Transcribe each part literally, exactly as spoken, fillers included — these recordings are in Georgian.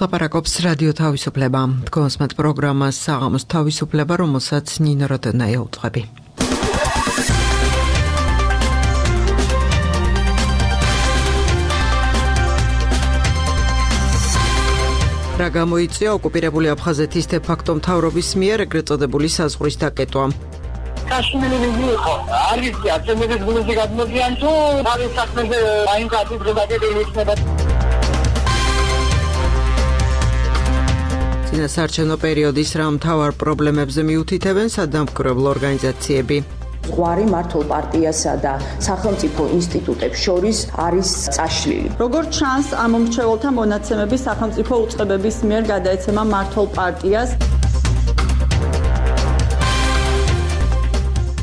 ლაპარაკობს რადიო თავისუფლება. თქვენს მათ პროგრამას საღამოს თავისუფლება, რომელსაც ნინო როდონაია უძღვები. რა გამოიწვია ოკუპირებული აფხაზეთის დე-ფაქტო მთავრობის მიერ ეგრეთ წოდებული საზღვრის დაკეტვა? Kashmiri იყო არის აცემების გულზე გადმოდიან თუ არის საქმეზე აი კაცი პროდაკტები იქნება. წინასაარჩევნო პერიოდის რა მთავარ პრობლემებზე მიუთითებენ სადამკვირვებლო ორგანიზაციები? ზღვარი მართლ პარტიასა და სახელმწიფო ინსტიტუტებს შორის არის წაშლილი. როგორც ჩანს, ამ მომრჩეველთა მონაცემები სახელმწიფო უწყებების მიერ გადაეცემა მართლ პარტიას.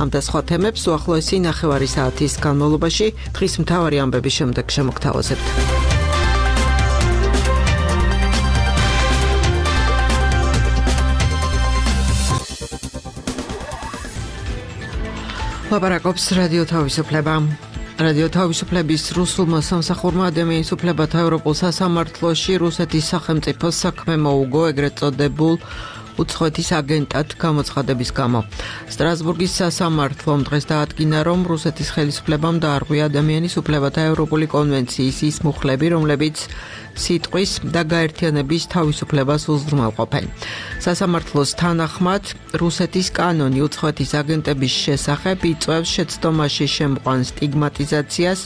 ამ და სხვა თემებს უახლოესი ნახევარი საათის განმავლობაში დღის მთავარი ამბების შემდეგ შემოგთავაზებთ. ლაპარაკობს რადიო თავისუფლება. რადიო თავისუფლების რუსულმა სამსახურმა ადამიანის უფლებათა ევროპულ სასამართლოში რუსეთის სახელმწიფოს საქმე მოუგო ეგრეთ წოდებულ უცხოეთის აგენტად გამოცხადების გამო. სტრასბურგის სასამართლომ დღეს დაადგინა, რომ რუსეთის ხელისუფლებამ დაარღვია ადამიანის უფლებათა ევროპული კონვენციის ის მუხლები, რომლებიც სიტყვის და გაერთიანების თავისუფლებას უზრუნველყოფენ. სასამართლოს თანახმად, რუსეთის კანონი უცხოეთის აგენტების შესახებ იწვევს შეცდომაში შემყვან სტიგმატიზაციას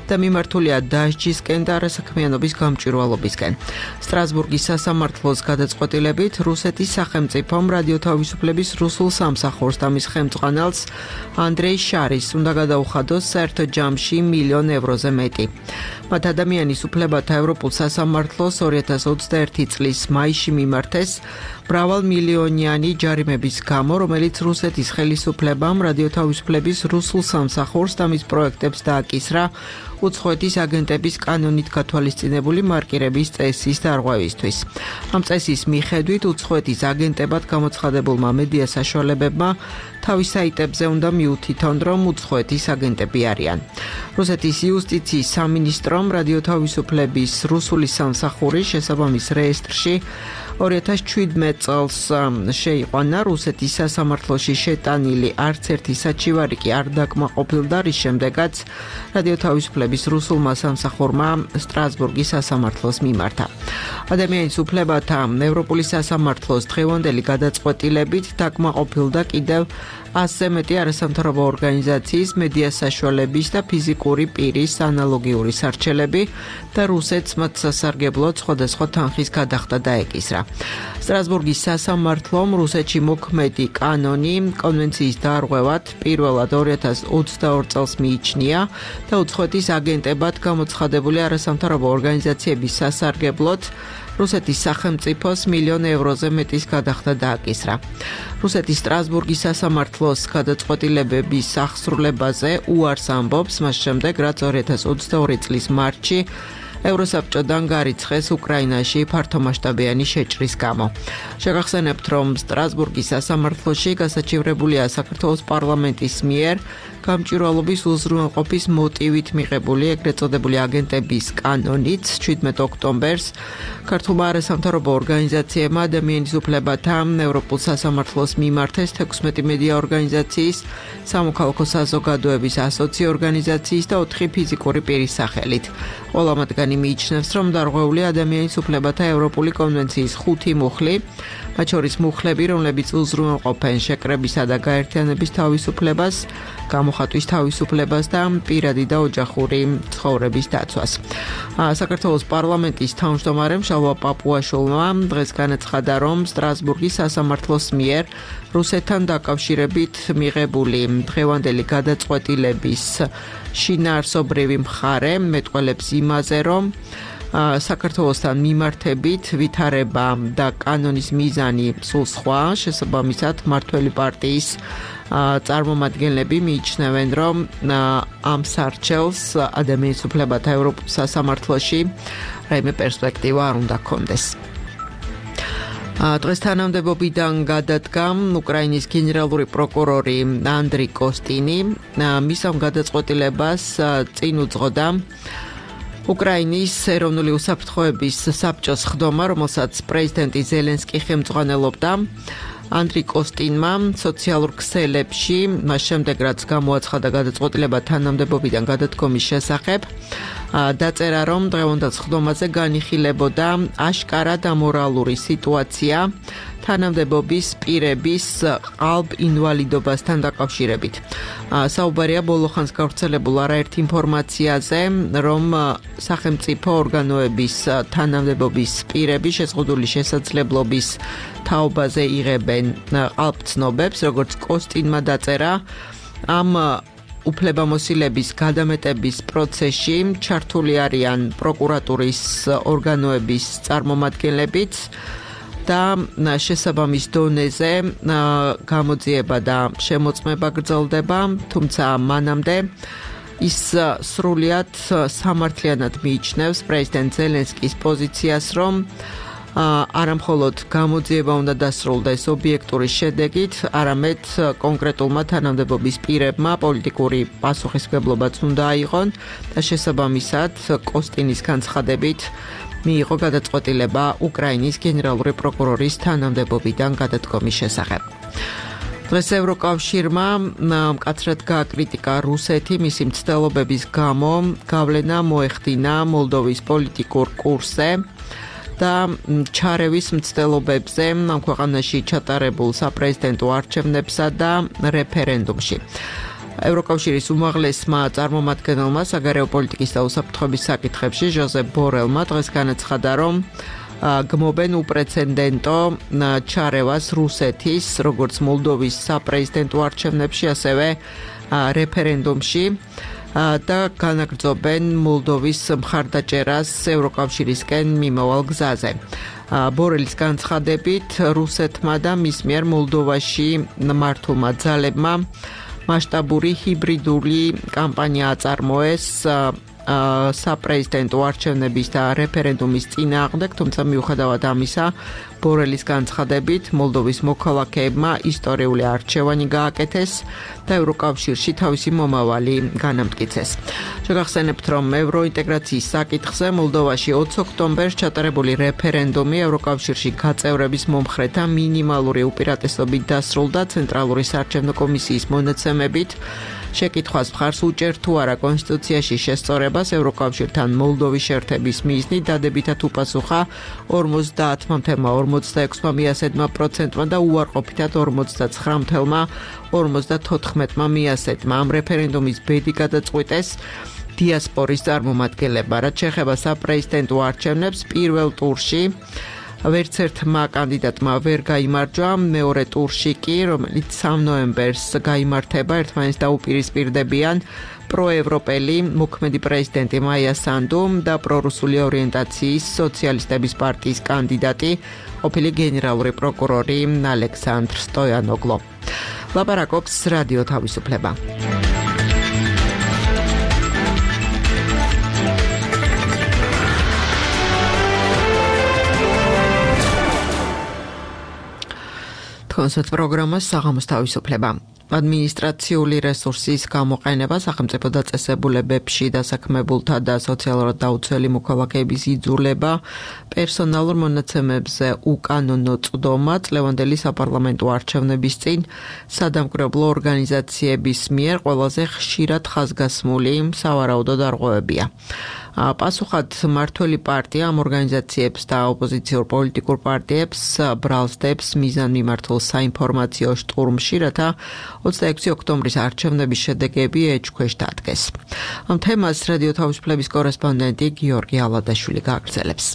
და მიმართულია დასჯისკენ და არასაქმიანობის გამჭვირვალობისკენ. სტრასბურგის სასამართლოს გადაწყვეტილებით რუსეთის სახელმწიფომ რადიო თავისუფლების რუსულ სამსახურს და მის ხელმძღვანელს ანდრეი შარის უნდა გადაუხადოს საერთო ჯამში მილიონ ევროზე მეტი. მათ ადამიანის უფლებათა ევროპულ სასამართლოს ორი ათას ოცდაერთი წლის მაისში მიმართეს მრავალმილიონიანი ჯარიმების გამო, რომელიც რუსეთის ხელისუფლებამ რადიო თავისუფლების რუსულ სამსახურს და მის პროექტებს დააკისრა უცხოეთის აგენტების კანონით გათვალისწინებული მარკირების წესის დარღვევისთვის. ამ წესის მიხედვით უცხოეთის აგენტებად გამოცხადებულმა მედია საშუალებებმა თავის საიტებზე უნდა მიუთითონ, რომ უცხოეთის აგენტები არიან. რუსეთის იუსტიციის სამინისტრომ რადიო თავისუფლების რუსული სამსახური შესაბამის რეესტრში ორი ათას შვიდმეტ წელს შეიყვანა. რუსეთის სასამართლოში შეტანილი არც ერთი საჩივარი კი არ დაკმაყოფილდა, რის შემდეგაც რადიო თავისუფლების რუსულმა სამსახურმა სტრასბურგის სასამართლოს მიმართა. ადამიანის უფლებათა ევროპული სასამართლოს დღევანდელი გადაწყვეტილებით დაკმაყოფილდა კიდევ ასზე მეტი არასამთავრობო ორგანიზაციის, მედია საშუალების და ფიზიკური პირის ანალოგიური სარჩელები და რუსეთს მათ სასარგებლოდ სხვადასხვა თანხის გადახდა დაეკისრა. სტრასბურგის სასამართლომ რუსეთში მოქმედი კანონი კონვენციის დარღვევად პირველად ორი ათას ოცდაორ წელს მიიჩნია და უცხოეთის აგენტებად გამოცხადებული არასამთავრობო ორგანიზაციების სასარგებლოდ რუსეთის სახელმწიფოს მილიონ ევროზე მეტის გადახდა დააკისრა. რუსეთის სტრასბურგის სასამართლოს გადაწყვეტილებების აღსრულებაზე უარს ამბობს, მას შემდეგ, რაც ორი ათას ოცდაორი წლის მარტში ევროსაბჭოდან გარიცხეს უკრაინაში ფართომასშტაბიანი შეჭრის გამო. შეგახსენებთ, რომ სტრასბურგის სასამართლოში გასაჩივრებულია საქართველოს პარლამენტის მიერ გამჭვირვალობის უზრუნველყოფის მოტივით მიღებული ეგრეთ წოდებული აგენტების კანონით შვიდმეტ ოქტომბერს ქართულმა არასამთავრობო ორგანიზაციებმა ადამიანის უფლებათა ევროპულ სასამართლოს მიმართეს თექვსმეტი მედია ორგანიზაციის, სამოქალაქო საზოგადოების ასოცი ორგანიზაციის და ოთხი ფიზიკური პირის სახელით. ყველა მათგანი მიიჩნევს, რომ დარღვეულია ადამიანის უფლებათა ევროპული კონვენციის ხუთი მუხლი, მათ შორის მუხლები, რომლებიც უზრუნველყოფენ შეკრებისა და გაერთიანების თავისუფლებას, გამოხატვის თავისუფლებას და პირადი და ოჯახური ცხოვრების დაცვას. საქართველოს პარლამენტის თავმჯდომარემ შალვა პაპუაშვილმა დღეს განაცხადა, რომ სტრასბურგის სასამართლოს მიერ რუსეთთან დაკავშირებით მიღებული დღევანდელი გადაწყვეტილების შინაარსობრივი მხარე მეტყველებს იმაზე, რომ საქართველოსთან მიმართებით ვითარება და კანონის მიზანი სულ სხვა, შესაბამისად მმართველი პარტიის წარმომადგენლები მიიჩნევენ, რომ ამ სარჩელს ადამიანის უფლებათა ევროპულ სასამართლოში რაიმე პერსპექტივა არ უნდა ჰქონდეს. დღეს თანამდებობიდან გადადგა უკრაინის გენერალური პროკურორი ანდრი კოსტინი. მის ამ გადაწყვეტილებას წინ უძღოდა უკრაინის ეროვნული უსაფრთხოების საბჭოს ხდომა, რომელსაც პრეზიდენტი ზელენსკი ხელმძღვანელობდა, ანდრი კოსტინმა სოციალურ ქსელებში, მას შემდეგ რაც გამოაცხადა გადაწყვეტილება თანამდებობიდან გადადგომის შესახებ, დაწერა, რომ დღევანდელ ხდომაზე განიხილებოდა აშკარად ამორალური სიტუაცია თანამდებობის პირების ყალბ ინვალიდობასთან დაკავშირებით. საუბარია ბოლო ხანს გავრცელებულ არაერთ ინფორმაციაზე, რომ სახელმწიფო ორგანოების თანამდებობის პირები შეზღუდული შესაძლებლობის თაობაზე იღებენ ყალბცნობებს, როგორც კოსტინმა დაწერა, ამ უფლებამოსილების გადამეტების პროცესში ჩართული არიან პროკურატურის ორგანოების წარმომადგენლებიც და შესაბამის დონეზე გამოძიება და შემოწმება გრძელდება, თუმცა მანამდე ის სრულიად სამართლიანად მიიჩნევს პრეზიდენტ ზელენსკის პოზიციას, რომ არამხოლოდ გამოძიება უნდა დასრულდეს ობიექტური შედეგით, არამედ კონკრეტულმა თანამდებობის პირებმა პოლიტიკური პასუხისმგებლობაც უნდა აიღონ და შესაბამისად კოსტინის განცხადებით მიიღო გადაწყვეტილება უკრაინის გენერალური პროკურორის თანამდებობიდან გადადგომის შესახებ. დღეს ევროკავშირმა მკაცრად გააკრიტიკა რუსეთი მისი მცდელობების გამო გავლენა მოეხდინა მოლდოვის პოლიტიკურ კურსზე და ჩარევის მცდელობებზე ამ ქვეყანაში ჩატარებულ საპრეზიდენტო არჩევნებსა და რეფერენდუმში. ევროკავშირის უმაღლესმა წარმომადგენელმა საგარეო პოლიტიკის და უსაფრთხოების საკითხებში ჟოზეფ ბორელმა დღეს განაცხადა, რომ გმობენ უპრეცედენტო ჩარევას რუსეთის, როგორც მოლდოვის საპრეზიდენტო არჩევნებში, ასევე რეფერენდუმში და განაგრძობენ მოლდოვის მხარდაჭერას ევროკავშირისკენ მიმავალ გზაზე. ბორელის განცხადებით, რუსეთმა და მის მიერ მოლდოვაში მართულმა ძალებმა მასშტაბური ჰიბრიდული კამპანია აწარმოეს საპრეზიდენტო არჩევნების და რეფერენდუმის წინააღმდეგ, თუმცა მიუხედავად ამისა, ბორელის განცხადებით, მოლდოვის მოქალაქეებმა ისტორიული არჩევანი გააკეთეს და ევროკავშირში თავისი მომავალი განამტკიცეს. შეგახსენებთ, რომ ევროინტეგრაციის საკითხზე მოლდოვაში ოცი ოქტომბერს ჩატარებული რეფერენდუმი ევროკავშირში გაწევრების მომხრეთა მინიმალური უპირატესობით დასრულდა ცენტრალური საარჩევნო კომისიის მონაცემებით. შეკითხვას მხარს უჭერ თუ არა კონსტიტუციაში შესწორებას ევროკავშირთან მოლდოვის შეერთების მიზნით დადებითად უპასუხა ორმოცდაათი ფاصლე ორმოცდაექვსი პროცენტმა და უარყოფითად ორმოცდაცხრა ფაصლე ორმოცდათოთხმეტი პროცენტმა. ამ რეფერენდუმის ბედი გადაწყვიტეს დიასპორის წარმომადგენლებმა, რაც შეეხება საპრეზიდენტო არჩევნებს პირველ ტურში ვერც ერთმა კანდიდატმა ვერ გაიმარჯვა, მეორე ტურში კი, რომელიც სამი ნოემბერს გაიმართება, ერთმანეთს დაუპირისპირდებიან პროევროპელი მოქმედი პრეზიდენტი მაია სანდუ და პრორუსული ორიენტაციის სოციალისტების პარტიის კანდიდატი, ყოფილი გენერალური პროკურორი ალექსანდრ სტოიანოგლო. ლაპარაკობს რადიო თავისუფლება. კონსერტ პროგრამას საღამოს თავისუფლება. ადმინისტრაციული რესურსის გამოყენება სახელმწიფო დაწესებულებებში დასაქმებულთა და სოციალურად დაუცველი მოქალაქეების იძულება პერსონალურ მონაცემებზე უკანონო წვდომა წლევანდელი საპარლამენტო არჩევნების წინ სადამკვირვებლო ორგანიზაციების მიერ ყველაზე ხშირად ხაზგასმული სავარაუდო დარღვევებია. პასუხად მმართველი პარტია ამ ორგანიზაციებს და ოპოზიციურ პოლიტიკურ პარტიებს ბრალსდებს მიზანმიმართულ საინფორმაციო შტურმში, რათა ოცდაექვსი ოქტომბრის არჩევნების შედეგები ეჭქვეშ დადგეს. ამ თემას რადიო თავისუფლების კორესპონდენტი გიორგი ალადაშვილი გააგრძელებს.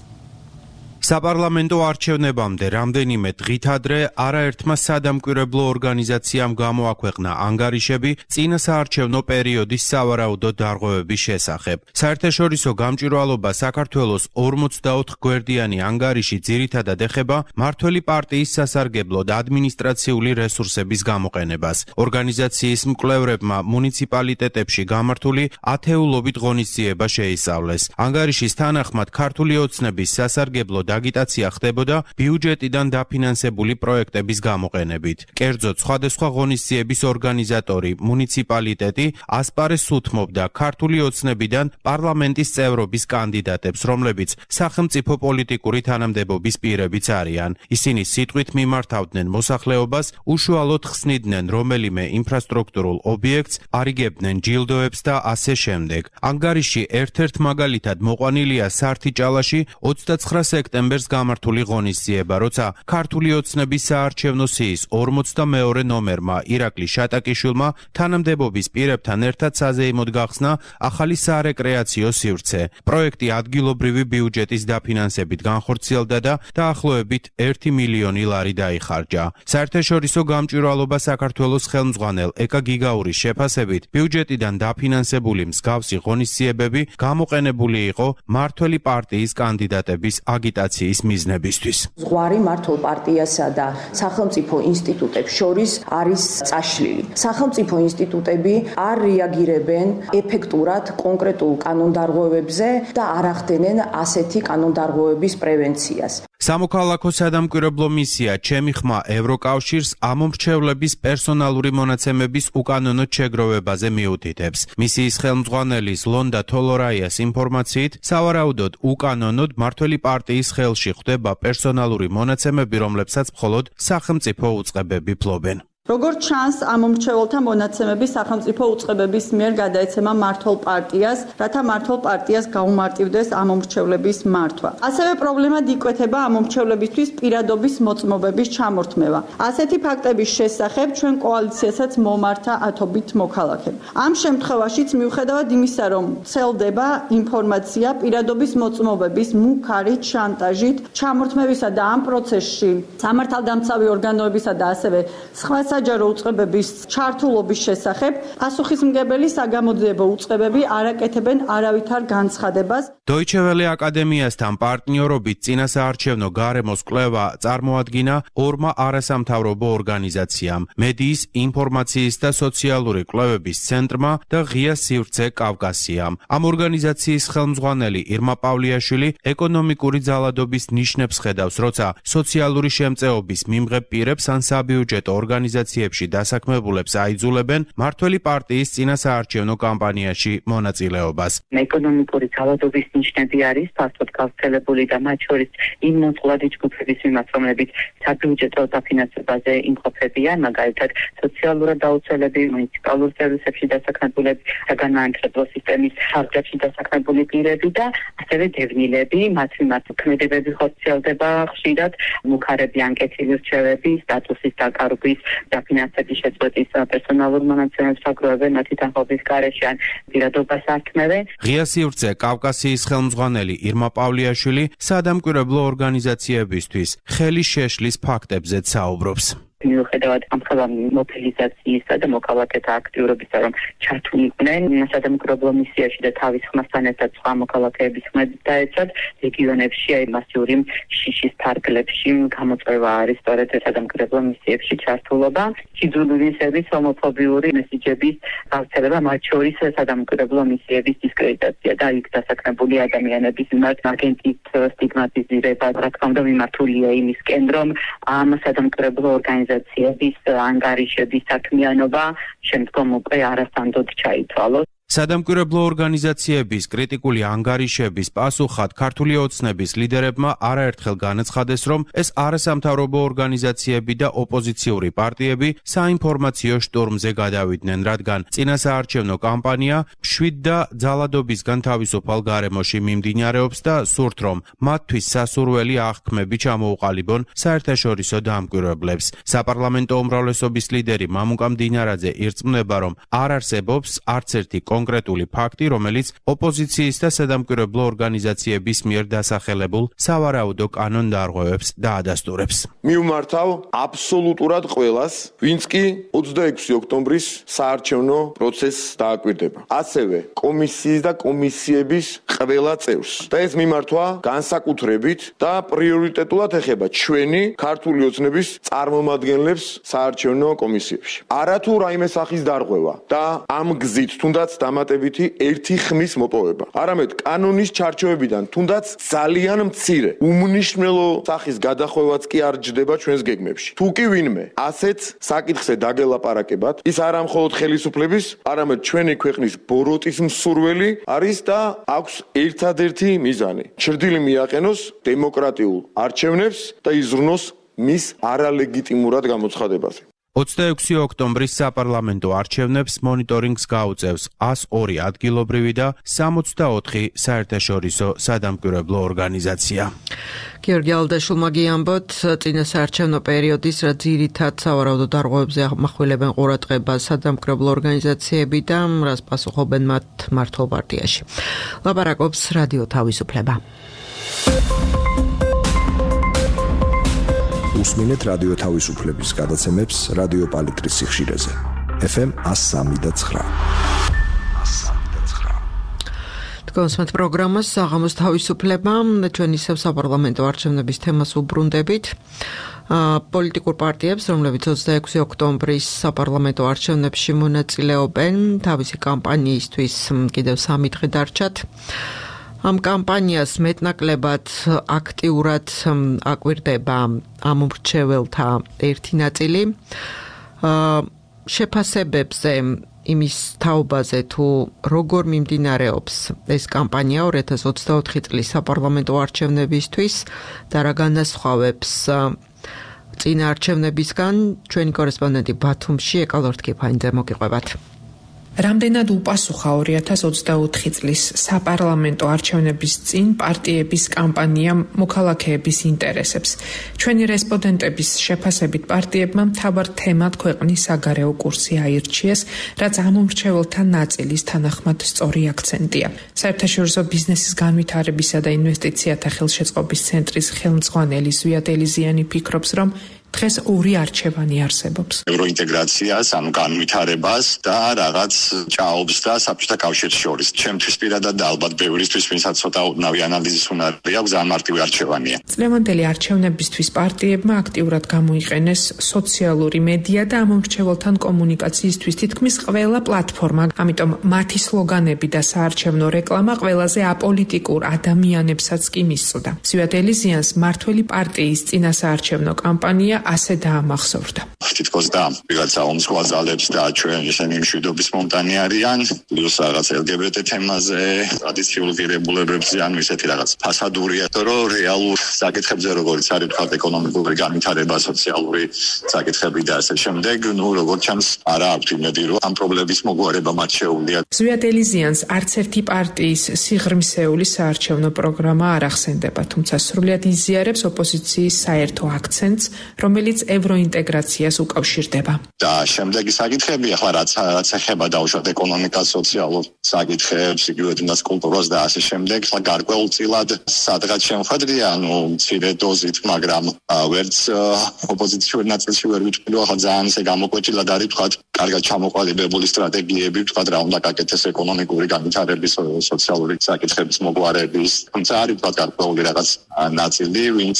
საპარლამენტო არჩევნებამდე რამდენიმე დღით ადრე არაერთმა სადამკვირვებლო ორგანიზაციამ გამოაქვეყნა ანგარიშები წინასაარჩევნო პერიოდის სავარაუდო დარღვევების შესახებ. საერთაშორისო გამჭვირვალობა საქართველოს ორმოცდაოთხ გვერდიანი ანგარიში ძირითადად ეხება მმართველი პარტიის სასარგებლო და ადმინისტრაციული რესურსების გამოყენებას. ორგანიზაციის მკვლევრებმა მუნიციპალიტეტებში გამართული ათეულობით ღონისძიება შეისწავლეს. ანგარიშის თანახმად ქართული ოცნების სასარგებლო და აგიტაცია ხდებოდა ბიუჯეტიდან დაფინანსებული პროექტების გამოყენებით. კერძოდ, სხვადასხვა ღონისძიების ორგანიზატორი მუნიციპალიტეტი ასპარეზს უთმობდა ქართული ოცნებიდან პარლამენტის წევრობის კანდიდატებს, რომლებიც სახელმწიფო პოლიტიკური თანამდებობის პირებიც არიან. ისინი სიტყვით მიმართავდნენ მოსახლეობას, უშუალოდ ხსნიდნენ რომელიმე ინფრასტრუქტურულ ობიექტს, არიგებდნენ ჯილდოებს და ასე შემდეგ. ანგარიში ერთ-ერთ მაგალითად მოყვანილია სართიჭალაში ოცდაცხრა სექტემბერს გამართული ღონისძიება, როცა ქართული ოცნების საარჩევნო სიის ორმოცდამეორე ნომერმა ირაკლი შატაკიშვილმა თანამდებობის პირებთან ერთად საზეიმოდ გახსნა ახალი სარეკრეაციო სივრცე. პროექტი ადგილობრივი ბიუჯეტის დაფინანსებით განხორციელდა და დაახლოებით ერთი მილიონი ლარი დაიხარჯა. საერთაშორისო გამჭვირვალობა საქართველოს ხელმძღვანელ ეკა გიგაურის შეფასებით, ბიუჯეტიდან დაფინანსებული მსგავსი ღონისძიებები გამოყენებული იყო მართველი პარტიის კანდიდატების აგიტაციის მიზნებისთვის. ზღვარი მართლ პარტიასა და სახელმწიფო ინსტიტუტებს შორის არის წაშლილი. სახელმწიფო ინსტიტუტები არ რეაგირებენ ეფექტურად კონკრეტულ კანონდარღვევებზე და არ ახდენენ ასეთი კანონდარღვევების პრევენციას. სამოქალაქო სადამკვირვებლო მისია ჩემი ხმა ევროკავშირს ამომრჩევლების პერსონალური მონაცემების უკანონო შეგროვებაზე მიუთითებს. მისიის ხელმძღვანელის ლონდა თოლორაიას ინფორმაციით, სავარაუდოდ უკანონოდ მართველი პარტიის ხელში ხვდება პერსონალური მონაცემები, რომლებსაც მხოლოდ სახელმწიფო უწყებები ფლობენ. როგორც ჩანს, ამომრჩეველთა მონაცემები სახელმწიფო უწყებების მიერ გადაეცემა მართლ პარტიას, რათა მართლ პარტიას გაუმარტივდეს ამომრჩევლების მართვა. ასევე პრობლემად იკვეთება ამომრჩევლებისთვის პირადობის მოწმობების ჩამორთმევა. ასეთი ფაქტების შესახებ ჩვენ კოალიციასაც მომართა ათობით მოქალაქე. ამ შემთხვევაშიც მიუხედავად იმისა, რომ ვრცელდება ინფორმაცია პირადობის მოწმობების მუქარით, შანტაჟით, ჩამორთმევისა და ამ პროცესში სამართალდამცავი ორგანოებისა და ასევე სხვა საჯარო უწყებების ჩართულობის შესახებ პასუხისმგებელი საგამოძიებო უწყებები არ აკეთებენ არავითარ განცხადებას. Deutsche Welle აკადემიასთან პარტნიორობით წინასაარჩევნო გარემოს კვლევა წარმოადგინა ორმა არასამთავრობო ორგანიზაციამ, მედიის, ინფორმაციის და სოციალური კვლევების ცენტრმა და ღია სივრცე კავკასიამ. ამ ორგანიზაციის ხელმძღვანელი ირმა პავლიაშვილი ეკონომიკური ძალადობის ნიშნებს ხედავს, როცა სოციალური შემწეობის მიმღებ პირებს ან საბიუჯეტო ორგანიზაციებში დასაქმებულებს აიძულებენ მართველი პარტიის წინასაარჩევნო კამპანიაში მონაწილეობას. ეკონომიკური ძალადობის ნიშნები არის ფართოდ გავრცელებული და მათ შორის იმ მოწყვლადი ჯგუფების მიმართ, რომლებიც საბიუჯეტო დაფინანსებაზე იმყოფებიან, მაგალითად სოციალურად დაუცველები, მუნიციპალურ სერვისებში დასაქმებულები, საგანმანათლებლო სისტემის ხარჯებში დასაქმებული პირები და ასევე დევნილები, მათ მიმართ ქმედებები ხორციელდება ხშირად, მუქარები ანკეტილი რჩევები, სტატუსის დაკარგვის, დაფინანსების შეწყვეტის პერსონალურ მონაცემებს აგროვებენ მათი თანხმობის გარეშე ან პირადობას ართმევენ. ღია სივრცე კავკასიის ხელმძღვანელი ირმა პავლიაშვილი სადამკვირვებლო ორგანიზაციებისთვის ხელი შეშლის ფაქტებზეც საუბრობს. მიუხედავად ამხელა მობილიზაციისა და მოქალაქეთა აქტიურობისა, რომ ჩართულიყვნენ სადამკვირვებლო მისიაში და თავის ხმასთან ერთად სხვა მოქალაქეების ხმებით დაეცათ, რეგიონებში აი მასიური შიშის ფარგლებში გამოწვევა არის სწორედ სადამკვირვებლო მისიებში ჩართულობა, სიძულვილისების ჰომოფობიური მესიჯების გავრცელება, მათ შორის სადამკვირვებლო მისიების დისკრედიტაცია და იქ დასაქმებული ადამიანების მიმართ აგენტით სტიგმატიზირება, რა თქმა უნდა მიმართულია იმისკენ, რომ ამ სადამკვირვებლო ორგანიზაციების ანგარიშების საქმიანობა შემდგომ უკვე არასანდოდ ჩაითვალოს. სადამკვირვებლო ორგანიზაციების კრიტიკული ანგარიშების პასუხად ქართული ოცნების ლიდერებმა არაერთხელ განაცხადეს, რომ ეს არასამთავრობო ორგანიზაციები და ოპოზიციური პარტიები საინფორმაციო შტორმზე გადავიდნენ, რადგან წინასაარჩევნო კამპანია მშვიდ და ძალადობისგან თავისუფალ გარემოში მიმდინარეობს და სურთ, რომ მათთვის სასურველი აღქმები ჩამოუყალიბონ საერთაშორისო დამკვირვებლებს. საპარლამენტო უმრავლესობის ლიდერი მამუკა მდინარაძე ირწმუნება, რომ არ არსებობს არც ერთი კონკრეტული ფაქტი, რომელიც ოპოზიციის და სადამკვირვებლო ორგანიზაციების მიერ დასახელებულ სავარაუდო კანონდარღვევებს დაადასტურებს. მივმართავ აბსოლუტურად ყველას, ვინც კი ოცდაექვსი ოქტომბრის საარჩევნო პროცესს დააკვირდება. ასევე კომისიის და კომისიების ყველა წევრს. და ეს მიმართვა განსაკუთრებით და პრიორიტეტულად ეხება ჩვენი ქართული ოცნების წარმომადგენლებს საარჩევნო კომისიებში. არათუ რაიმე სახის დარღვევა და ამ გზით თუნდაც დამატებითი ერთი ხმის მოპოვება. არამედ კანონის ჩარჩოებიდან თუნდაც ძალიან მცირე უმნიშვნელო სახის გადახვევაც კი არ ჯდება ჩვენს გეგმებში. თუ კი ვინმე ასეთ საკითხზე დაგელაპარაკებათ, ის არა მხოლოდ ხელისუფლების, არამედ ჩვენი ქვეყნის ბოროტის მსურველი არის და აქვს ერთადერთი მიზანი. ჩრდილი მიაყენოს დემოკრატიულ არჩევნებს და იზრუნოს მის არალეგიტიმურად გამოცხადებაზე. ოცდაექვსი ოქტომბრის საპარლამენტო არჩევნებს მონიტორინგს გაუწევს ას ორი ადგილობრივი და სამოცდაოთხი საერთაშორისო სადამკვირვებლო ორგანიზაცია. გიორგი ალდაშულმა გიამბოთ, წინა საარჩევნო პერიოდის რა ძირითად სავარაუდო დარღვევებზე ამახვილებენ ყურადღებას სადამკვირვებლო ორგანიზაციები და რას პასუხობენ მათ მართლ პარტიაში. ლაპარაკობს რადიო თავისუფლება. უსმინეთ რადიო თავისუფლების გადაცემებს რადიო პალიტრის სიხშირეზე. ეფ ემ ათს სამი და ცხრა. კონსმეთ პროგრამას საღამოს თავისუფლება, ჩვენ ისევ საპარლამენტო არჩევნების თემას უბრუნდებით. პოლიტიკურ პარტიებს, რომლებიც ოცდაექვსი ოქტომბრის საპარლამენტო არჩევნებში მონაწილეობენ, თავისი კამპანიისთვის კიდევ სამი დღე დარჩათ. ამ კამპანიას მეტნაკლებად აქტიურად აკვირდება ამომრჩეველთა ერთი ნაწილი. შეფასებებზე იმის თაობაზე თუ როგორ მიმდინარეობს ეს კამპანია ორი ათას ოცდაოთხი წლის საპარლამენტო არჩევნებისთვის და რა განასხვავებს წინა არჩევნებისგან, ჩვენი კორესპონდენტი ბათუმში ეკალორთქიფაინძე მოგიყვებათ. რამდენად უპასუხა ორი ათას ოცდაოთხი წლის საპარლამენტო არჩევნების წინ პარტიების კამპანია მოქალაქეების ინტერესებს. ჩვენი რესპონდენტების შეფასებით პარტიებმა მთავარ თემად ქვეყნის საგარეო კურსი აირჩიეს, რაც ამომრჩეველთა ნაწილის თანახმად სწორი აქცენტია. საერთაშორისო ბიზნესის განვითარებისა და ინვესტიციათა ხელშეწყობის ცენტრის ხელმძღვანელი ზვიად ელიზიანი ფიქრობს, რომ დღეს ორი არჩევანი არსებობს. ევროინტეგრაციას, ანუ განვითარებას და რაღაც ჭაობს და საბჭოთა კავშირს შორის. ჩემთვის პირადად და ალბათ ბევრისთვის, ვინცაც ცოტა უდნავი ანალიზის უნარი აქვს, ძალიან მარტივი არჩევანია. წლევანდელი არჩევნებისთვის პარტიებმა აქტიურად გამოიყენეს სოციალური მედია და ამომრჩეველთან კომუნიკაციისთვის თითქმის ყველა პლატფორმა. ამიტომ მათი სლოგანები და საარჩევნო რეკლამა ყველაზე აპოლიტიკურ ადამიანებსაც კი მისწოდა. ზვიად ელიზიანს მართველი პარტიის წინა საარჩევნო კამპანია ასე დაამახსოვრდა. თითქოს და ვიღაცა ომსხვალძალებს და ჩვენ ისინი მშვიდობის მომტანი არიან, პლუს რაღაც ელ გი ბი ტი თემაზე, ტრადიციულ ღირებულებებზე, ანუ ისეთი რაღაც ფასადურია, რომ რეალურ საკითხებზე როგორც არის თქვა ეკონომიკური განვითარება, სოციალური საკითხები და ასე შემდეგ, ნუ როგორც ჩანს, არა აქვს იმედი, რომ ამ პრობლემების მოგვარება მათ შეუძლია. ზვიად ელიზიანს არც ერთი პარტიის სიღრმისეული საარჩევნო პროგრამა არ ახსენდება, თუმცა სრულიად იზიარებს ოპოზიციის საერთო აქცენტს, რომელიც ევროინტეგრაციას უკავშირდება. და შემდეგი საკითხები, ახლა რაც რაც ეხება დაუშვათ ეკონომიკას, სოციალურ საკითხებს, იგივე თუნდაც კულტურას და ასე შემდეგ, ახლა გარკვეულწილად სადღაც შემოხვედრია, ანუ მცირე დოზით, მაგრამ ვერც ოპოზიციური ნაწილში ვერ ვიტყვი, ახლა ძალიან ისე გამოკვეთილად არის თქვა, კარგად ჩამოყალიბებული სტრატეგიები, თქვა რა უნდა გაკეთდეს ეკონომიკური განვითარების, სოციალური საკითხების მოგვარების, თუმცა არის თქვა გარკვეული რაღაც ნაწილი, ვინც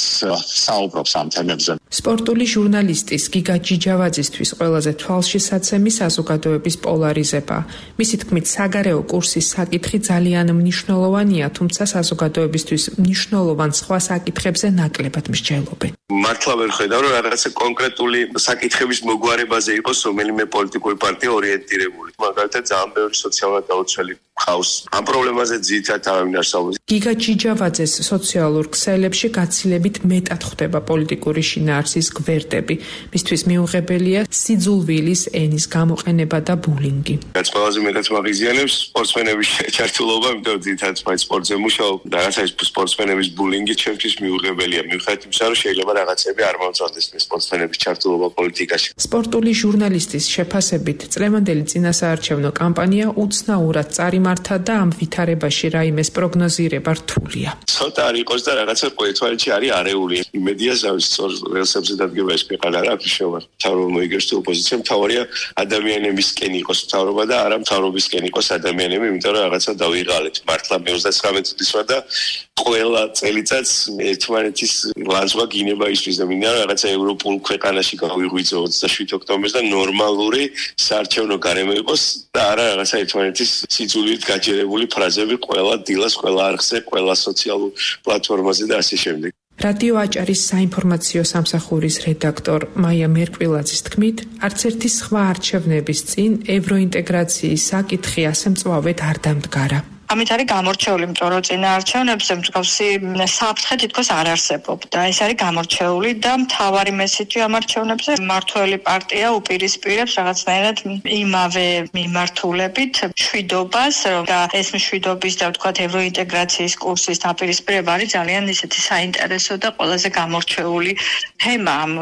საუბრობს ამ თემებზე. სპორტული ჟურნალისტის გიგა ჯიჯავაძისთვის ყველაზე თვალშისაცემი საზოგადოების პოლარიზება. მისი თქმით, საგარეო კურსის საკითხი ძალიან მნიშვნელოვანია, თუმცა საზოგადოებისთვის მნიშვნელოვან სხვა საკითხებზე ნაკლებად მსჯელობენ. მართლა ვერ ხედავ, რომ რაღაცა კონკრეტული საკითხების მოგვარებაზე იყოს რომელიმე პოლიტიკური პარტია ორიენტირებული. მაგალითად, ძალიან ბევრი სოციალურად დაუცველი ხავს. ამ პრობლემაზე ძირითადად თავი არსებობს. გიგა ჯიჯავაძეს სოციალურ ქსელებში გაცილებით მეტად ხვდება პოლიტიკური შინაარსის გვერდები. მისთვის მიუღებელია სიძულვილის ენის გამოყენება და ბულინგი. რაც ყველაზე მეტად მაგიზიანებს სპორტსმენების ჩართულობა, იმიტომ რომ ძირითადად მაინც სპორტზე მუშაობ და რაღაცა ის სპორტსმენების ბულინგი ჩემთვის მიუღებელია. მიუხედავად იმისა, რომ შეიძლება რაღაცები არ მომწონდეს სპორტსმენების ჩართულობა პოლიტიკაში. სპორტული ჟურნალისტის შეფასებით, წლევანდელი წინასაარჩევნო კამპანია უცნაურად წარიმართა მართა და ამ ვითარებაში რაიმეს პროგნოზირება რთულია. ცოტა არ იყოს და რაღაცა ყოველთვიათში არის არეული. იმედია ზავის სწორ რელსებზე დადგება ეს ქვეყანა რა ფიშოვა. თავრობა მოიგებს თუ ოპოზიცია მთავარია ადამიანებისკენ იყოს მთავრობა და არა მთავრობისკენ იყოს ადამიანები, იმიტომ რომ რაღაცა დავიღალეთ. მართლა მე ოცდათვრამეტი წლის ვარ და ყველა წელიწადს ერთმანეთის ლანძღვა გინება ისთვის და მინდა რაღაცა ევროპულ ქვეყანაში გავიღვიძო ოცდაშვიდ ოქტომბერს და ნორმალური საარჩევნო გარემო იყოს და არა რაღაცა ერთმანეთის სიძულვით გაჯერებული ფრაზები ყველა დილას, ყველა არხზე, ყველა სოციალურ პლატფორმაზე და ასე შემდეგ. რადიო აჭარის საინფორმაციო სამსახურის რედაქტორ მაია მერკვილაძის თქმით, არც ერთი სხვა არჩევნების წინ ევროინტეგრაციის საკითხი ასე მწვავედ არ დამდგარა. ამით არის გამორჩეული, იმიტომ რომ წინა არჩევნებზე მსგავსი საფრთხე თითქოს არ არსებობდა. ეს არის გამორჩეული და მთავარი მესიჯი ამ არჩევნებზე მმართველი პარტია უპირისპირებს რაღაცნაირად იმავე მიმართულებით მშვიდობას და ეს მშვიდობის და ვთქვათ ევროინტეგრაციის კურსის დაპირისპირება არის ძალიან ისეთი საინტერესო და ყველაზე გამორჩეული თემა ამ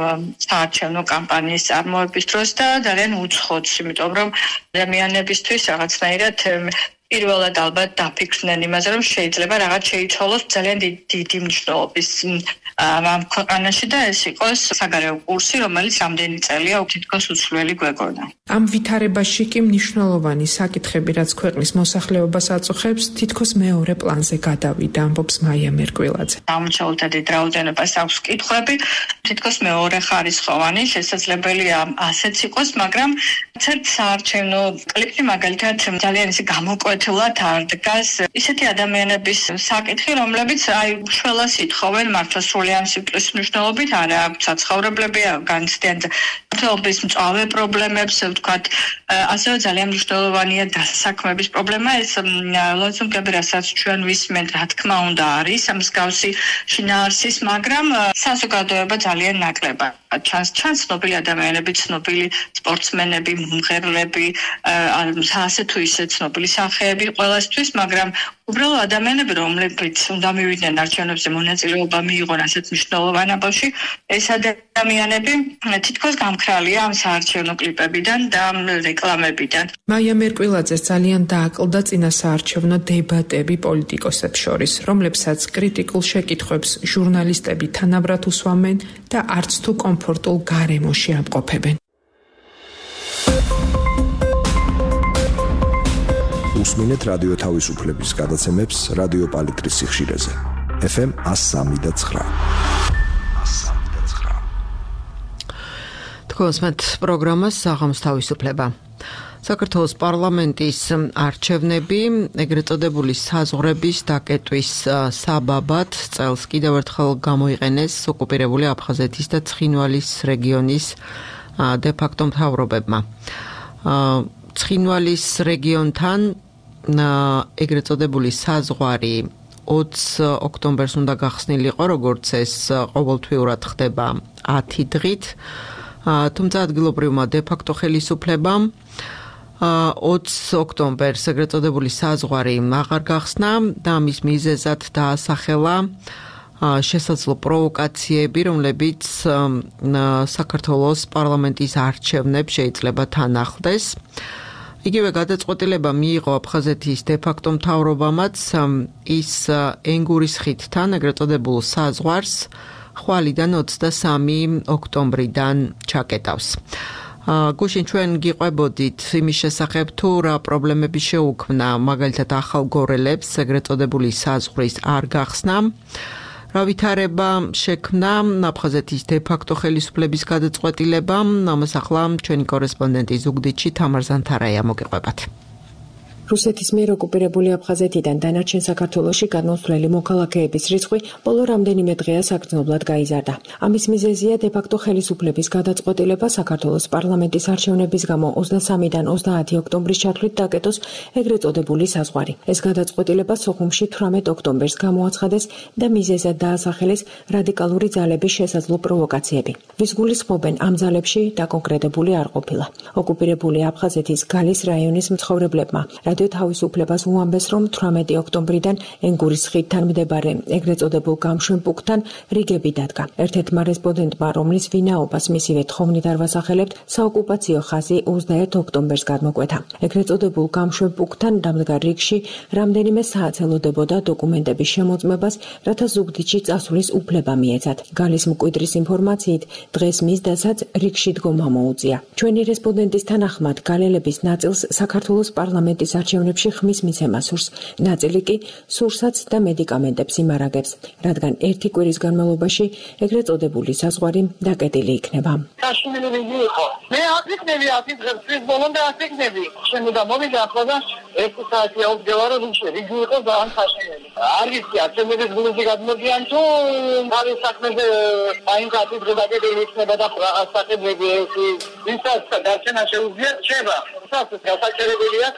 საარჩევნო კამპანიის წარმოების დროს და ძალიან უცხოც, იმიტომ რომ ადამიანებისთვის რაღაცნაირად პირველად ალბათ დაფიქრდნენ იმაზე, რომ შეიძლება რაღაც შეიცვალოს ძალიან დიდი მნიშვნელობის ამ ქვეყანაში და ეს იყოს საგარეო კურსი, რომელიც ამდენი წელია თითქოს უცვლელი გვეგონა. ამ ვითარებაში კი მნიშვნელოვანი საკითხები, რაც ქვეყნის მოსახლეობას აწუხებს, თითქოს მეორე პლანზე გადავიდა, ამბობს მაია მერკვილაძე. გამორჩეულთა დიდ რაოდენობას აქვს კითხვები, თითქოს მეორე ხარისხოვანი, შესაძლებელია ასეც იყოს, მაგრამ ერთ საარჩევნო კლიპში მაგალითად ძალიან ისე გამოკვეთილად არ დგას ისეთი ადამიანების საკითხი, რომლებიც აი შველას ითხოვენ მართლა სრულიად სიტყვის მნიშვნელობით, არა აქვს საცხოვრებლები, განცდიან მართლობის მწვავე პრობლემებს, ვთქვათ, ასევე ძალიან მნიშვნელოვანია დასაქმების პრობლემა, ეს ლოზუნგები, რასაც ჩვენ ვისმენთ, რა თქმა უნდა არის მსგავსი შინაარსის, მაგრამ საზოგადოება ძალიან ნაკლებად ჩანს, ჩანს ცნობილი ადამიანები, ცნობილი სპორტსმენები, მომღერლები, ასე თუ ისე ცნობილი სახეები ყველასთვის, მაგრამ უბრალოდ ადამიანები, რომლებიც უნდა მივიდნენ არჩევნებზე მონაწილეობა მიიღონ ასეთ მნიშვნელოვან ამბავში, ეს ადამიანები თითქოს გამქრალია ამ საარჩევნო კლიპებიდან და რეკლამებიდან. მაია მერკვილაძეს ძალიან დააკლდა წინა საარჩევნო დებატები პოლიტიკოსებს შორის, რომლებსაც კრიტიკულ შეკითხვებს ჟურნალისტები თანაბრად უსვამენ და არც თუ კომფორტულ გარემოში ამყოფებენ. უსმინეთ რადიო თავისუფლების გადაცემებს რადიო პალიტრის სიხშირეზე. ეფ ემ one oh three და nine. თქვენსმეთ პროგრამას საღამოს თავისუფლება. საქართველოს პარლამენტის არჩევნები ეგრეთ წოდებული საზღვრების დაკეტვის საბაბად წელს კიდევ ერთხელ გამოიყენეს ოკუპირებული აფხაზეთის და ცხინვალის რეგიონის დე-ფაქტო მთავრობებმა. ცხინვალის რეგიონთან ეგრეთ წოდებული საზღვარი ოცი ოქტომბერს უნდა გახსნილიყო, როგორც ეს ყოველთვიურად ხდება ათი დღით, თუმცა ადგილობრივმა დე-ფაქტო ხელისუფლებამ ოცი ოქტომბერს ეგრეთ წოდებული საზღვარი აღარ გახსნა და მის მიზეზად დაასახელა შესაძლო პროვოკაციები, რომლებიც საქართველოს პარლამენტის არჩევნებს შეიძლება თან ახლდეს. იგივე გადაწყვეტილება მიიღო აფხაზეთის დე-ფაქტო მთავრობამაც ის ენგურის ხიდთან ეგრეთ წოდებულ საზღვარს ხვალიდან ოცდასამი ოქტომბრიდან ჩაკეტავს. გუშინ ჩვენ გიყვებოდით იმის შესახებ, თუ რა პრობლემები შეუქმნა მაგალითად ახალგორელებს ეგრეთ წოდებული საზღვრის არ გახსნა. რა ვითარება შექმნა აფხაზეთის დე-ფაქტო ხელისუფლების გადაწყვეტილებამ, ამას ახლა ჩვენი კორესპონდენტი ზუგდიდში თამარ ზანთარაია მოგიყვებათ. რუსეთის მიერ ოკუპირებული აფხაზეთიდან დანარჩენ საქართველოში გადმოსვლელი მოქალაქეების რიცხვი ბოლო რამდენიმე დღეა საგრძნობლად გაიზარდა. ამის მიზეზია დე-ფაქტო ხელისუფლების გადაწყვეტილება საქართველოს პარლამენტის არჩევნების გამო ოცდასამიდან ოცდაათი ოქტომბრის ჩათვლით დაკეტოს ეგრეთ წოდებული საზღვარი. ეს გადაწყვეტილება სოხუმში თვრამეტ ოქტომბერს გამოაცხადეს და მიზეზად დაასახელეს რადიკალური ძალების შესაძლო პროვოკაციები. ვის გულისხმობენ ამ ძალებში დაკონკრეტებული არ ყოფილა. ოკუპირებული აფხაზეთის გალის რაიონის მცხოვრებლებმა რადიო თავისუფლებას უამბეს, რომ თვრამეტი ოქტომბრიდან ენგურის ხიდთან მდებარე ეგრეთ წოდებულ გამშვენ პუნქტთან რიგები დადგა. ერთ-ერთმა რესპონდენტმა, რომლის ვინაობას მისივე თხოვნით არ ვასახელებთ, საოკუპაციო ხაზი ოცდაერთ ოქტომბერს გადმოკვეთა. ეგრეთ წოდებულ გამშვენ პუნქტთან დამდგარ რიგში რამდენიმე საათს ელოდებოდა დოკუმენტების შემოწმებას, რათა ზუგდიდში წასვლის უფლება მიეცათ. გალის მკვიდრის ინფორმაციით, დღეს მის დასაც რიგში დგომა მოუწია. ჩვენი რესპონდენტის თანახმად, გალელების ნაწილს საქართველოს პარლამენტის არჩევნებში ხმის მიცემა სურს, ნაწილი კი სურსაც და მედიკამენტებს იმარაგებს, რადგან ერთი კვირის განმავლობაში ეგრეთ წოდებული საზღვარი დაკეტილი იქნება. მე აფიქნები აფიქნებს ბოლომდე აფიქნები შემოდა მოვიდა ახლა და ერთი საათი აუდგევა რომ რიგი იყო ძალიან საშინელი. არ ვიცი არჩევნების გულში გადმოდიან თუ თავის საქმეზე აი კათედრა დაგებული იქნება და ასაკები ერთი ვისაც დარჩენა შეუძლია რჩება. საერთოდ გასაჭიროებელია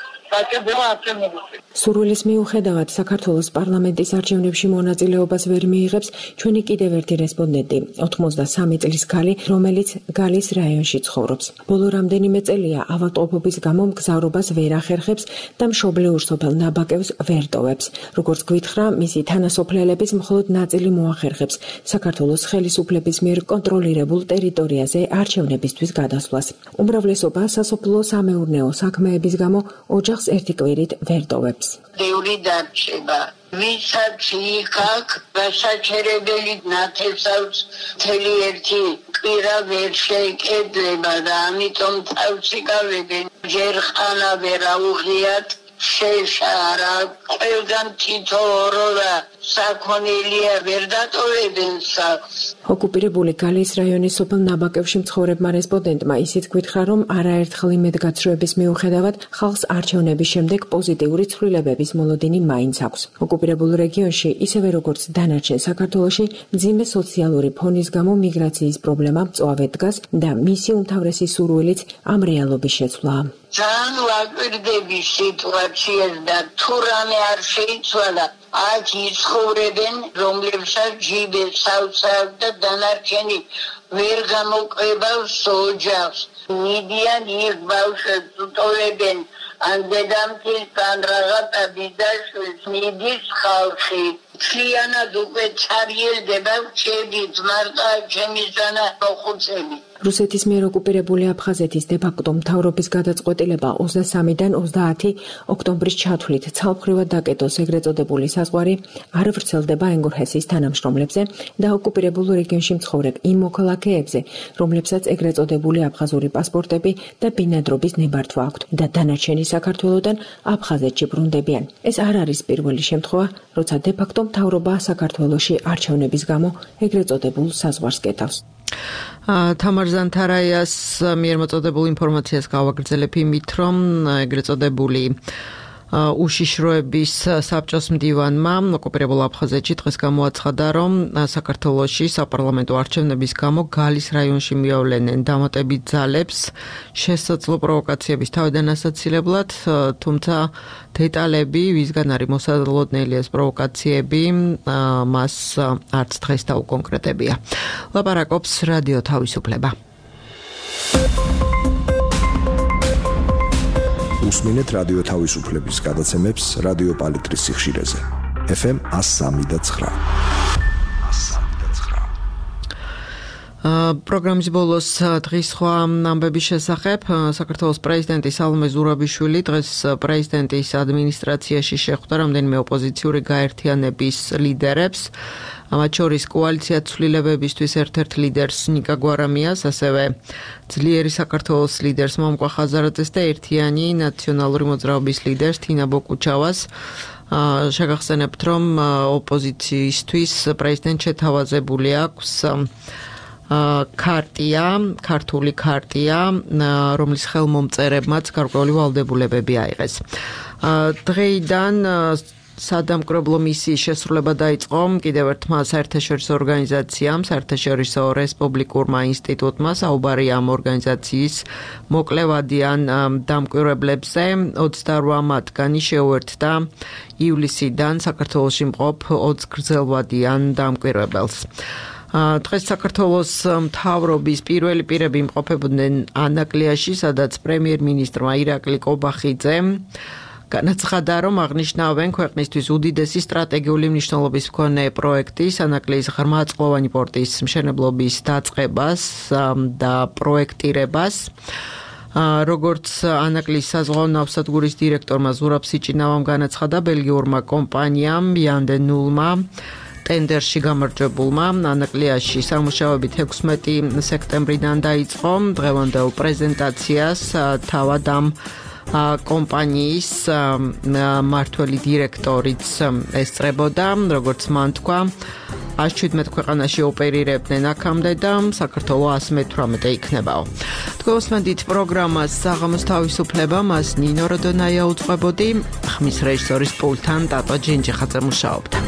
სურვილის მიუხედავად საქართველოს პარლამენტის არჩევნებში მონაწილეობას ვერ მიიღებს ჩვენი კიდევ ერთი რესპონდენტი, ოთხმოცდასამი წლის ქალი, რომელიც გალის რაიონში ცხოვრობს. ბოლო რამდენიმე წელია ავადმყოფობის გამო მგზავრობას ვერ ახერხებს და მშობლიურ სოფელ ნაბაკევს ვერ ტოვებს. როგორც გვითხრა, მისი თანასოფლელების მხოლოდ ნაწილი მოახერხებს საქართველოს ხელისუფლების მიერ კონტროლირებულ ტერიტორიაზე არჩევნებისთვის გადასვლას. უმრავლესობა სასოფლო-სამეურნეო საქმეების გამო ოჯახს ერთი კვირით ვერ ტოვებს. ბევრი დარჩება. ვისაც იქ გასაჩერებელი ნათესავს მთელი ერთი კვირა ვერ შეიკედლება და ამიტომ თავს იკავებენ. ჯერ ხანა ვერ აუღიათ შეშარა ყველგან თითო ორო და საქონელია ვერ დატოვებენ სახლს. ოკუპირებული გალის რაიონის სოფელ ნაბაკევში მცხოვრებმა რესპონდენტმა ისიც გითხრა, რომ არაერთხელ იმედგაცრუების მიუხედავად ხალხს არჩევნების შემდეგ პოზიტიური ცვლილებების მოლოდინი მაინც აქვს. ოკუპირებულ რეგიონში, ისევე როგორც დანარჩენ საქართველოში, მძიმე სოციალური ფონის გამო მიგრაციის პრობლემა მწვავედ დგას და მისი უმთავრესი სურვილიც ამ რეალობის შეცვლაა. ძალიან ვაკვირდები სიტუაციას და თუ რამე არ შეიცვალა, აქ იცხოვრებენ, რომლებსაც ჯიბეს სავსავ და დანარჩენი ვერ გამოყვებავს ოჯახს. მიდიან იქ ბავშვებს უტოვებენ, ან დედამთის ან რაღაცა ბიძაშვილს მიდის ხალხი. მთლიანად უკვე ჩარიელდება რჩებით, მარტო ჩემი ზანა მოხუცები. რუსეთის მიერ ოკუპირებული აფხაზეთის დე-ფაქტო მთავრობის გადაწყვეტილება ოცდასამიდან ოცდაათი ოქტომბრის ჩათვლით ცალმხრივად დაკეტოს ეგრეთ წოდებული საზღვარი არ ვრცელდება ენგურჰესის თანამშრომლებზე და ოკუპირებულ რეგიონში მცხოვრებ იმ მოქალაქეებზე, რომლებსაც ეგრეთ წოდებული აფხაზური პასპორტები და ბინადრობის ნებართვა აქვთ და დანარჩენი საქართველოდან აფხაზეთში ბრუნდებიან. ეს არ არის პირველი შემთხვევა, როცა დე-ფაქტო მთავრობა საქართველოში არჩევნების გამო ეგრეთ წოდებულ საზღვარს კეთავს. თამარ ზანთარაიას მიერ მოწოდებულ ინფორმაციას გავაგრძელებ იმით, რომ ეგრეთ წოდებული უშიშროების საბჭოს მდივანმა ოკუპირებულ აფხაზეთში დღეს გამოაცხადა, რომ საქართველოში საპარლამენტო არჩევნების გამო გალის რაიონში მიავლენენ დამატებით ძალებს შესაძლო პროვოკაციების თავიდან ასაცილებლად, თუმცა დეტალები, ვისგან არის მოსალოდნელი ეს პროვოკაციები, მას არც დღეს დაუკონკრეტებია. ლაპარაკობს რადიო თავისუფლება. უსმინეთ რადიო თავისუფლების გადაცემებს რადიო პალიტრის სიხშირეზე. ეფ ემ one oh three point nine. პროგრამის ბოლოს დღის სხვა ამბების შესახებ საქართველოს პრეზიდენტი სალომე ზურაბიშვილი დღეს პრეზიდენტის ადმინისტრაციაში შეხვდა რამდენიმე ოპოზიციური გაერთიანების ლიდერებს. მათ შორის კოალიცია ცვლილებებისთვის ერთ-ერთ ლიდერს ნიკა გვარამიას, ასევე ძლიერი საქართველოს ლიდერს მომკვა ხაზარაძეს და ერთიანი ნაციონალური მოძრაობის ლიდერს თინა ბოკუჩავას. შეგახსენებთ, რომ ოპოზიციისთვის პრეზიდენტ შეთავაზებული აქვს ქარტია, ქართული ქარტია, რომლის ხელმომწერებმაც გარკვეული ვალდებულებები აიღეს. დღეიდან სადამკვირვებლო მისიის შესრულება დაიწყო კიდევ ერთმა საერთაშორისო ორგანიზაციამ, საერთაშორისო რესპუბლიკურმა ინსტიტუტმა, საუბარია ამ ორგანიზაციის მოკლევადიან დამკვირვებლებზე. ოცდაორ მათგანი შეუერთდა ივლისიდან საქართველოში მყოფ ოც გრძელვადიან დამკვირვებელს. დღეს საქართველოს მთავრობის პირველი პირები იმყოფებოდნენ ანაკლიაში, სადაც პრემიერ-მინისტრმა ირაკლი კობახიძემ განაცხადა, რომ აღნიშნავენ ქვეყნისთვის უდიდესი სტრატეგიული მნიშვნელობის მქონე პროექტი სანაკლიის ღრმაწყლოვანი პორტის მშენებლობის დაწყებას და პროექტირებას. როგორც ანაკლიის საზღვაო ნავსადგურის დირექტორმა ზურაბ სიჭინავამ განაცხადა, ბელგიურმა კომპანიამ Yandel-მა ტენდერში გამარჯვებულმა ანაკლიაში სამუშაოებით ექვსმეტი სექტემბრიდან დაიწყო. დღევანდელ პრეზენტაციას თავად ამ კომპანიის მმართველი დირექტორიც ესწრებოდა, როგორც მან თქვა, ას შვიდმეტ ქვეყანაში ოპერირებდნენ აქამდე და საქართველო ას მეთვრამეტე იქნებაო. თქვენსმენდით პროგრამას საღამოს თავისუფლება, მას ნინო როდონაია უძღვებოდი, ხმის რეჟისორის პულტთან ტატო ჯინჯიხაძე მუშაობდა.